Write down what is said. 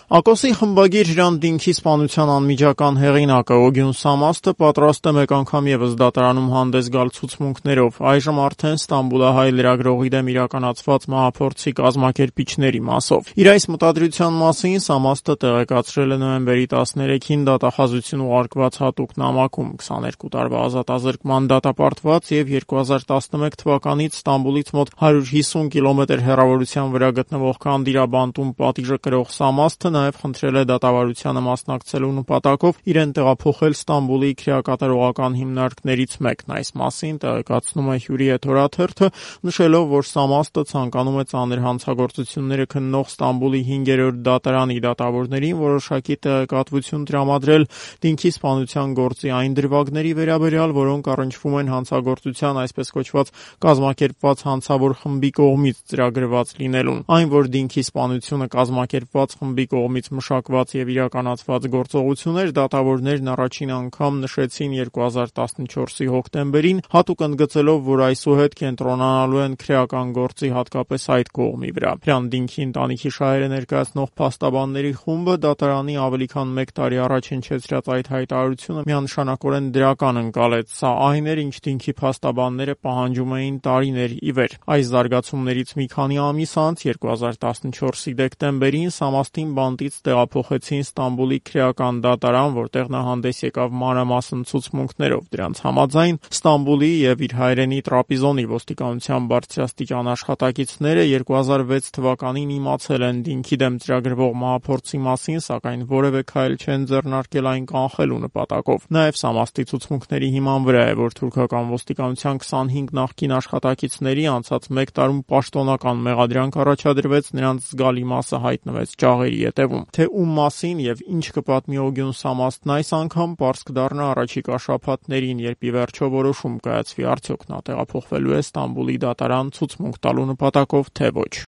ԱԿՕՍ-ի խմբագիր Հրանտ Դինքի սպանության անմիջական հեղինակը Օգյուն Սամաստը պատրաստ է մեկ անգամ ևս դատարանում հանդես գալ ցուցմունքներով, այժմ արդեն Ստամբուլահայ լրագրողի դեմ իրականացված մահափորձի կազմակերպիչների մասով։ Իր այս մտադրության մասին Սամաստը տեղեկացրել է նոյեմբերի 13-ին դատախազություն ուղարկված հատուկ նամակում 22 տարվա ազատազրկման դատապարտված եւ 2011 թվականից Ստամբուլից մոտ 150 կիլոմետր հեռավորության վրա գտնվող Կանդիրաբանտում պատիժը կրող Սամաստը նաև խնդրել է դատավարությանը մասնակցելու նպատակով իրեն տեղափոխել Ստամբուլի քրեակատարողական հիմնարկներից մեկն։ Այս մասին տեղեկացնում է Հյուրի եթերաթերթը, նշելով, որ Սամաստը ցանկանում է ծանր հանցագործությունները քննող Ստամբուլի 5-րդ դատարանի դատավորներին որոշակի տեղեկատվություն տրամադրել Դինքի սպանության գործի այն դրվագների վերաբերյալ, որոնք առնչվում են հանցագործության այսպես կոչված կազմակերպված հանցավոր խմբի կողմից ծրագրված լինելուն։ Այն, որ Դինքի սպանությունը կազմակերպված խմբի կողմից մշակված եւ իրականացված գործողություն էր, դատավորներն առաջին անգամ նշեցին 2014-ի հոկտեմբերին, հատուկ ընդգծելով, որ այսուհետ կենտրոնանալու են քրեական գործի հատկապես այդ կողմի վրա։ Հրանտ Դինքի ընտանիքի շահերը ներկայացնող փաստաբանների խումբը դատարանի ավելի քան 1 տարի առաջ հնչեցրած այդ հայտարարությունը միանշանակորեն դրական ընկալեց։ Սա այն էր, ինչ Դինքի փաստաբանները պահանջում էին տարիներ ի վեր։ Այս զարգացումներից մի քանի ամիս անց 2014-ի դեկտեմբերին Սամաստին բանտից տեղափոխեցին Ստամբուլի քրեական դատարան, որտեղ նա հանդես եկավ մանրամասն ցուցմունքներով։ Դրանց համաձայն Ստամբուլի եւ իր հայրենի Տրապիզոնի ոստիկանության բարձրաստիճան աշխատակիցները 2006 թվականին իմացել են Դինքի դեմ ծրագրվող մահափորձի մասին, սակայն որևէ քայլ չեն ձեռնարկել այն կանխելու նպատակով։ Նաեւ Սամաստի ցուցմունքների հիման վրա է, որ թուրքական ոստիկանության 25 նախկին աշխատակիցների անցած 1 տարում պաշտոնական մեղադրանք առաջադրվեց, նրանց զգալի մասը հայտնվեց ճաղերի ետևում։ Թե ում մասին եւ ինչ կպատմի Օգյուն Սամաստն այս անգամ, պարզ կդառնա առաջիկա շաբաթներին, երբ ի վերջո որոշում կայացվի, արդյոք նա տեղափոխվելու է Ստամբուլի դատարան ցուցմունք տալու նպատակով, թե ոչ։